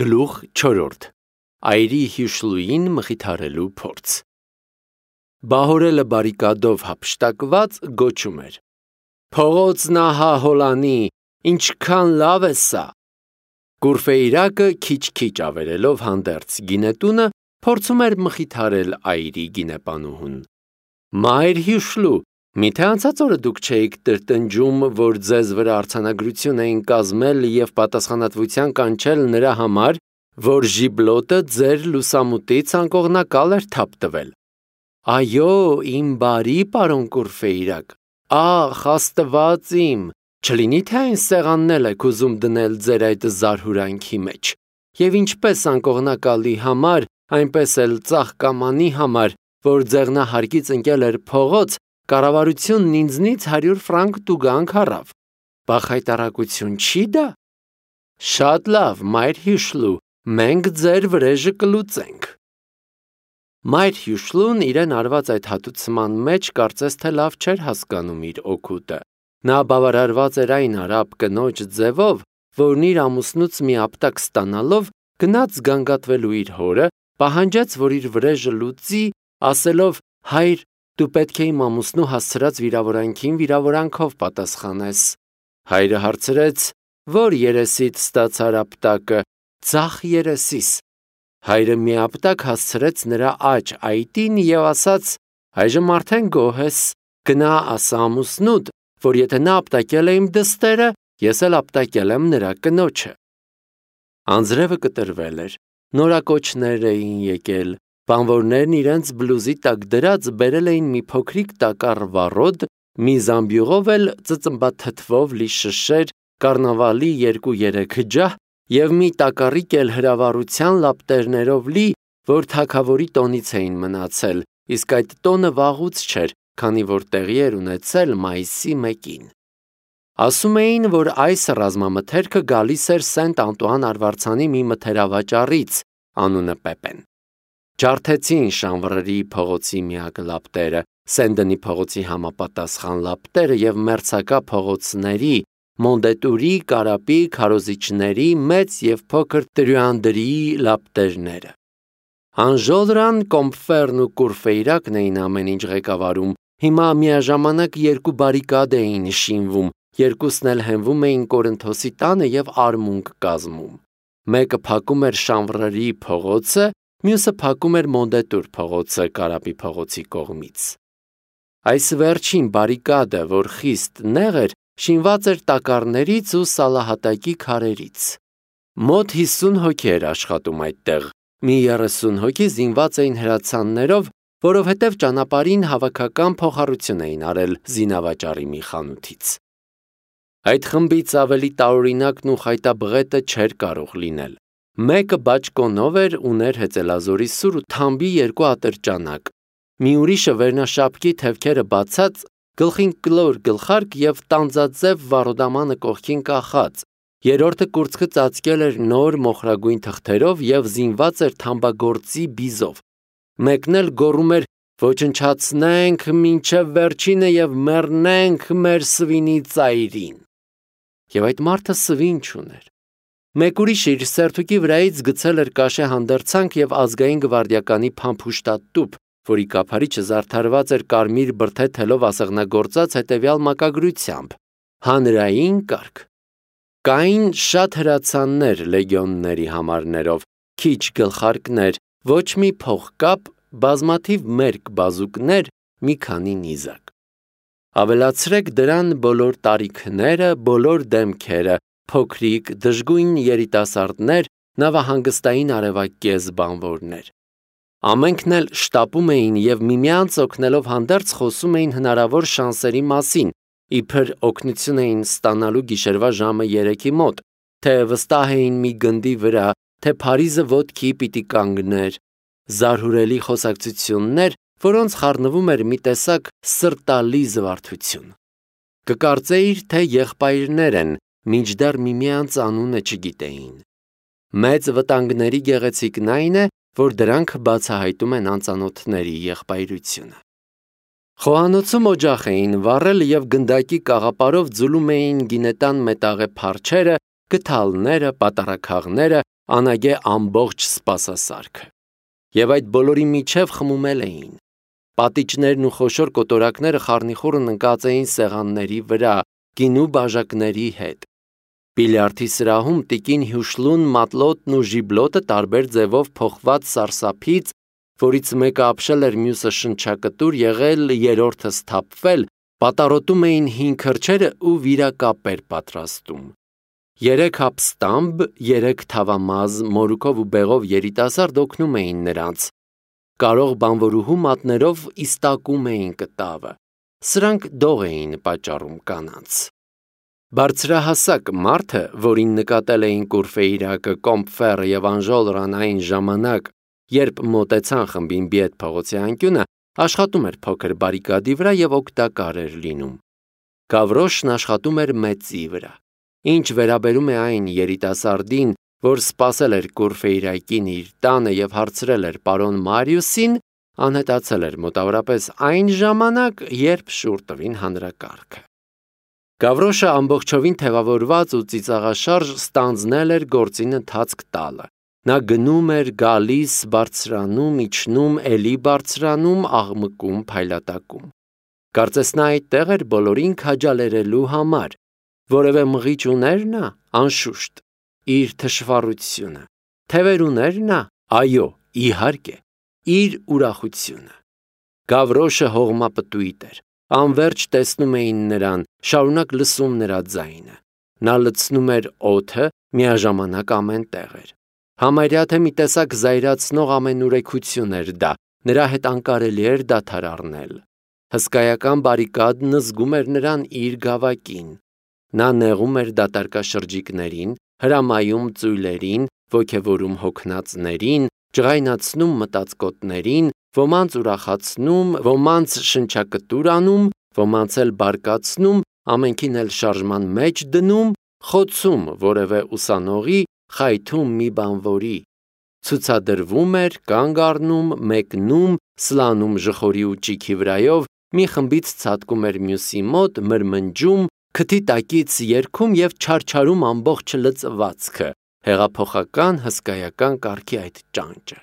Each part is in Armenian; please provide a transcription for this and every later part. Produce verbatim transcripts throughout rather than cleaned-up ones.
Գլուխ չորրորդ. Այրի հյուշլուին մխիթարելու փորձ։ Բահորելը բարիկադով հափշտակված գոչում էր. Փողոցն ահա հոլանի, ինչքան լավ է սա։ Կուրֆեյրակը քիչ-քիչ ավերելով հանդերձ գինետունը փորձում էր մխիթարել այրի գինեպանուհուն։ Մայր հյուշլու, միթե անցած օրը դուք չէիք տրտնջում, որ ձեզ վրա արձանագրություն էին կազմել և պատասխանատվության կանչել նրա համար, որ ժիբլոտը ձեր լուսամուտից անկողնակալ էր թափ տվել։ Այո, իմ բարի պարոն Կուրֆեյրակ, ախ, Աստված իմ, չլինի թե այն սեղանն էլ եք ուզում դնել ձեր այդ զարհուրանքի մեջ, և ինչպես անկողնակալի համար, այնպես էլ ծաղկամանի համար, որ ձեղնահարկից ընկել էր փողոց, կառավարությունն ինձնից հարյուր ֆրանկ տուգանք առավ։ Բախայտարակություն չի դա։ Շատ լավ, մայր հյուշլու, մենք ձեր վրեժը կլուծենք։ Մայր հյուշլուն իրեն արված այդ հատուցման մեջ կարծես թե լավ չէր հասկանում իր օգուտը։ Նա բավարարված էր այն արաբ կնոջ ձևով, որն իր ամուսնուց մի ապտակ ստանալով գնաց գանգատվելու իր հորը, պահանջեց, որ իր վրեժը լուծի, ասելով. հայր, դու պետք է իմ ամուսնու հասցրած վիրավորանքին վիրավորանքով պատասխանես։ Հայրը հարցրեց. որ երեսիդ ստացար ապտակը, ձախ երեսիս։ Հայրը մի ապտակ հասցրեց նրա աջ այտին և ասաց. այժմ արդեն գոհ ես, գնա ասա ամուսնուդ, որ եթե նա ապտակել է իմ դստերը, ես էլ ապտակել եմ նրա կնոջը։ Անձրևը կտրվել էր, նորակոչներ էին եկել, բանվորներն իրենց բլուզի տակ դրած բերել էին մի փոքրիկ տակառ վառոդ, մի զամբյուղով էլ ծծմբաթթվով լի շշեր, կառնավալի երկու-երեք ջահ և մի տակառիկ էլ հրավառության լապտերներով լի, որ թագավորի տոնից էին մնացել, իսկ այդ տոնը վաղուց չէր, քանի որ տեղի էր ունեցել մայիսի մեկին։ Ասում էին, որ այս ռազմամթերքը գալիս էր Սենտ Անտուան արվարձանի մի մթերավաճառից, անունը Պեպեն։ Ջարդեցին Շանվռերի փողոցի միակ լապտերը, Սեն-Դենի փողոցի համապատասխան լապտերը և մերձակա փողոցների, Մոնդետուրի, Կարապի, քարոզիչների, մեծ և փոքր տրյուանդրիի լապտերները։ Անժոլրան, Կոմփֆերն ու Կուրֆեյրակն էին ամեն ինչ ղեկավարում, հիմա միաժամանակ երկու բարիկադ էին շինվում, երկուսն էլ հենվում էին Կորինթոսի տանը և արմունկ կազմում։ Մեկը փակում էր Շանվռերի փողոցը, մյուսը փակում էր Մոնդետուր փողոցը Կարապի փողոցի կողմից։ Այս վերջին բարիկադը, որ խիստ նեղ էր, շինված էր տակառներից ու սալահատակի քարերից։ Մոտ հիսուն հոգի էր աշխատում այդտեղ, մի երեսուն հոգի զինված էին հրացաններով, որովհետև ճանապարհին հավաքական փոխառություն էին արել զինավաճառի մի խանութից։ Այդ խմբից ավելի տարօրինակն ու խայտաբղետը չէր կարող լինել։ Մեկը բաճկոնով էր, ուներ հեծելազորի սուր ու թամբի երկու ատրճանակ, մի ուրիշը վերնաշապկի թևքերը բացած, գլխին կլոր գլխարկ և տանձաձև վառոդամանը կողքին կախած, երրորդը կուրծքը ծածկել էր նոր մոխրագույն թղթերով և զինված էր թամբագործի բիզով, մեկն էլ գոռում էր. «Ոչնչացնենք մինչև վերջինը և մեռնենք մեր սվինի ծայրին»։ Եվ այդ մարդը սվին չուներ։ Մեկ ուրիշը իր սերթուկի վրայից գցել էր կաշե հանդերձանք և ազգային գվարդիականի փամփուշտատուփ, որի կափարիչը զարդարված էր կարմիր բրդե թելով ասեղնագործած հետևյալ մակագրությամբ. հանրային կարգ։ Կային շատ հրացաններ լեգիոնների համարներով, քիչ գլխարկներ, ոչ մի փողկապ, բազմաթիվ մերկ բազուկներ, մի քանի նիզակ։ Ավելացրեք դրան բոլոր տարիքները, բոլոր դեմքերը, փոքրիկ, դժգույն երիտասարդներ, նավահանգստային արևակեզ բանվորներ։ Ամենքն էլ շտապում էին և միմյանց օգնելով հանդերձ խոսում էին հնարավոր շանսերի մասին, իբր օգնություն էին ստանալու գիշերվա ժամը երեքի մոտ, թե վստահ էին մի գնդի վրա, թե Փարիզը ոտքի պիտի կանգներ, զարհուրելի խոսակցություններ, որոնց խառնվում էր մի տեսակ սրտալի զվարթություն։ Կկարծեիր, թե եղբայրներ են, մինչդեռ միմյանց անունը չգիտեին։ Մեծ վտանգների գեղեցիկն այն է, որ դրանք բացահայտում են անծանոթների եղբայրությունը։ Խոհանոցում օջախ էին վառել և գնդակի կաղապարով ձուլում էին գինետան մետաղե փարչերը, գդալները, պատառաքաղները, անագե ամբողջ սպասասարքը։ Եվ այդ բոլորի միջև խմումել էին։ Պատիճներն ու խոշոր կոտորակները խառնիխուռն ընկած էին սեղանների վրա, գինու բաժակների հետ։ Բիլիարդի սրահում տիկին Հյուշլուն մատլոտն ու ժիբլոտը տարբեր ձևով փոխված սարսափից, որից մեկը ապշել էր, մյուսը շնչակտուր եղել, երրորդը սթափվել, պատառոտում էին հին քրջերը ու վիրակապեր պատրաստում։ Երեք հապստամբ, երեք թավամազ, մորուքով ու բեղով երիտասարդ օգնում էին նրանց։ Կարող բանվորուհու մատներով իստակում էին կտավը։ Սրանք դող էին պատճառում կանանց։ Բարձրահասակ մարդը, որին նկատել էին Կուրֆեյրակը, Կոմփֆերը եւ Անժոլրան այն ժամանակ, երբ մոտեցան խմբին Բիետ փողոցի անկյունը, աշխատում էր փոքր բարիկադի վրա եւ օգտակար էր լինում։ Գավրոշն աշխատում էր մեծի վրա։ Ինչ վերաբերում է այն երիտասարդին, որ սպասել էր Կուրֆեյրակին իր տանը եւ հարցրել էր պարոն Մարիուսին, անհետացել էր մոտավորապես այն ժամանակ, երբ շուռ տվին հանրակարգը։ Գավրոշը ամբողջովին թևավորված ու ծիծաղաշարժ ստանձնել էր գործին ընթացք տալը։ Նա գնում էր, գալիս, բարձրանում, իջնում, էլի բարձրանում, աղմկում, փայլատակում։ Կարծես նա այդտեղ էր բոլորին քաջալերելու համար։ Որևէ մղիչ ուներ նա, անշուշտ, իր թշվառությունը, թևեր ուներ նա, այո, իհարկե, իր ուրախությունը։ Գավրոշը հողմապտույտ էր, անվերջ տեսնում էին նրան, շարունակ լսում նրա ձայնը։ Նա լցնում էր օդը, միաժամանակ ամեն տեղ էր։ Համարյա թե մի տեսակ զայրացնող ամենուրեքություն էր դա, նրա հետ անկարելի էր դադար առնել։ Հսկայական բարիկադն զգում էր նրան իր գավակին։ Նա նեղում էր դատարկաշրջիկներին, հրամայում ծույլերին, ոգևորում հոգնածներին, ջղայնացնում մտածկոտներին, ոմանց ուրախացնում, ոմանց շնչակտուր անում, ոմանց էլ բարկացնում, ամենքին էլ շարժման մեջ դնում, խոցում որևէ ուսանողի, խայթում մի բանվորի։ Ցուցադրվում էր, կանգ առնում, մեկնում, սլանում ժխորի ու ճիքի վրայով, մի խմբից ցատկում էր մյուսի մոտ, մրմնջում, քթի տակից երգում եւ չարչարում ամբողջ լծվածքը, հեղափոխական հսկայական կարգի այդ ճանճը։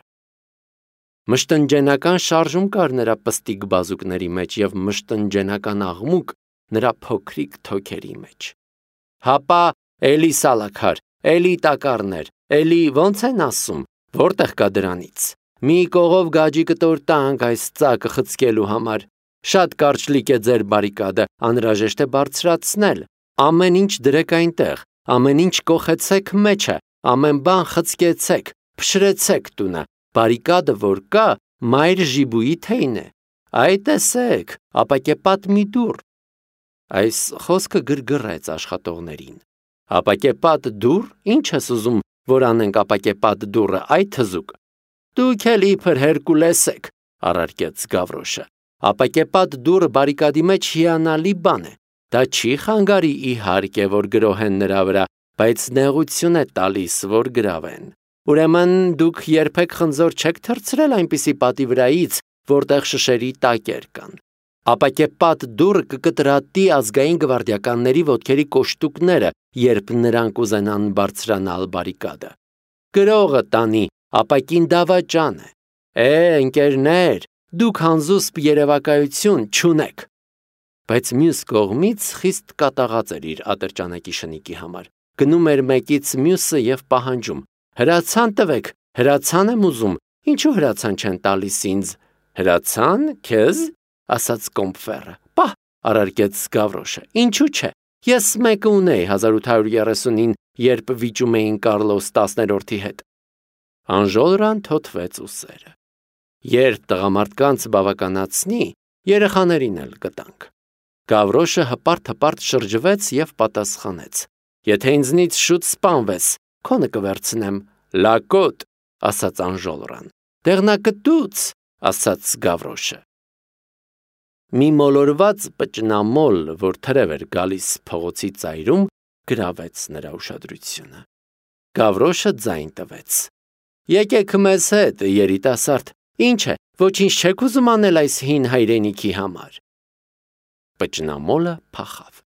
Մշտնջենական շարժում կար նրա պստիկ բազուկների մեջ եւ մշտնջենական աղմուկ նրա փոքրիկ թոքերի մեջ։ Հապա, էլի սալաքար, էլի տակառներ, էլի ո՞նց են ասում, որտեղ կա դրանից։ Մի կողով գաջի կտոր տանք այս ծակը խցկելու համար։ Շատ կարճլիկ է ձեր բարիկադը, անհրաժեշտ է բարձրացնել։ Ամեն ինչ դրեք այնտեղ, ամեն ինչ կոխեցեք մեջը, ամեն բան խցկեցեք, փշրեցեք տունը։ Բարիկադը որ կա, մայր ժիբուի թեյն է։ Այ տեսեք, ապակեպատ մի դուռ։ Այս խոսքը գրգռեց աշխատողներին։ Ապակեպատ դուռ, ինչ ես ուզում, որ անենք ապակեպատ դուռը, այ թզուկ։ Դուք էլ իբր Հերկուլես եք, առարկեց Գավրոշը։ Ապակեպատ դուռը բարիկադի մեջ հիանալի բան է։ Դա չի խանգարի իհարկե, որ գրոհեն նրա վրա, բայց նեղություն է տալիս, որ գրավեն։ Ուրեմն դուք երբեք խնձոր չեք թռցրել այնպիսի պատի վրայից, որտեղ շշերի տակեր կան։ Ապակեպատ դուռը կկտրատի ազգային գվարդիականների ոտքերի կոշտուկները, երբ նրանք ուզենան բարձրանալ բարիկադը։ Գրողը տանի, ապակին դավաճան է։ Է, ընկերներ, դուք հանզուսպ երևակայություն չունեք։ Բայց մյուս կողմից խիստ կատաղած էր իր ատրճանակի շնիկի համար։ Գնում էր մեկից մյուսը եւ պահանջում. հրացան տվեք, հրացան եմ ուզում, ինչու հրացան չեն տալիս ինձ։ Հրացան, քեզ, ասաց Կոմփֆերը։ Պահ, առարկեց Գավրոշը, ինչու չէ։ Ես մեկը ունեի հազար ութ հարյուր երեսունին, երբ վիճում էին Կարլոս տասներորդի հետ։ Անժոլրան թոթվեց ուսերը։ Երբ տղամարդկանց բավականացնի, երեխաներին էլ կտանք։ Գավրոշը հպարտ-հպարտ շրջվեց եւ պատասխանեց. Եթե ինձնից շուտ սպանվես, քոնը կվերցնեմ։ Լակոտ, ասաց Անժոլրան։ Դեղնակտուց, ասաց Գավրոշը։ Մի մոլորված պճնամոլ, որ թրև էր գալիս փողոցի ծայրում, գրավեց նրա ուշադրությունը։ Գավրոշը ձայն տվեց. Եկեք մեզ հետ, երիտասարդ, ինչ է, ոչինչ չեք ուզում անել այս հին հայրենիքի համար։ Պճնամոլը փախավ։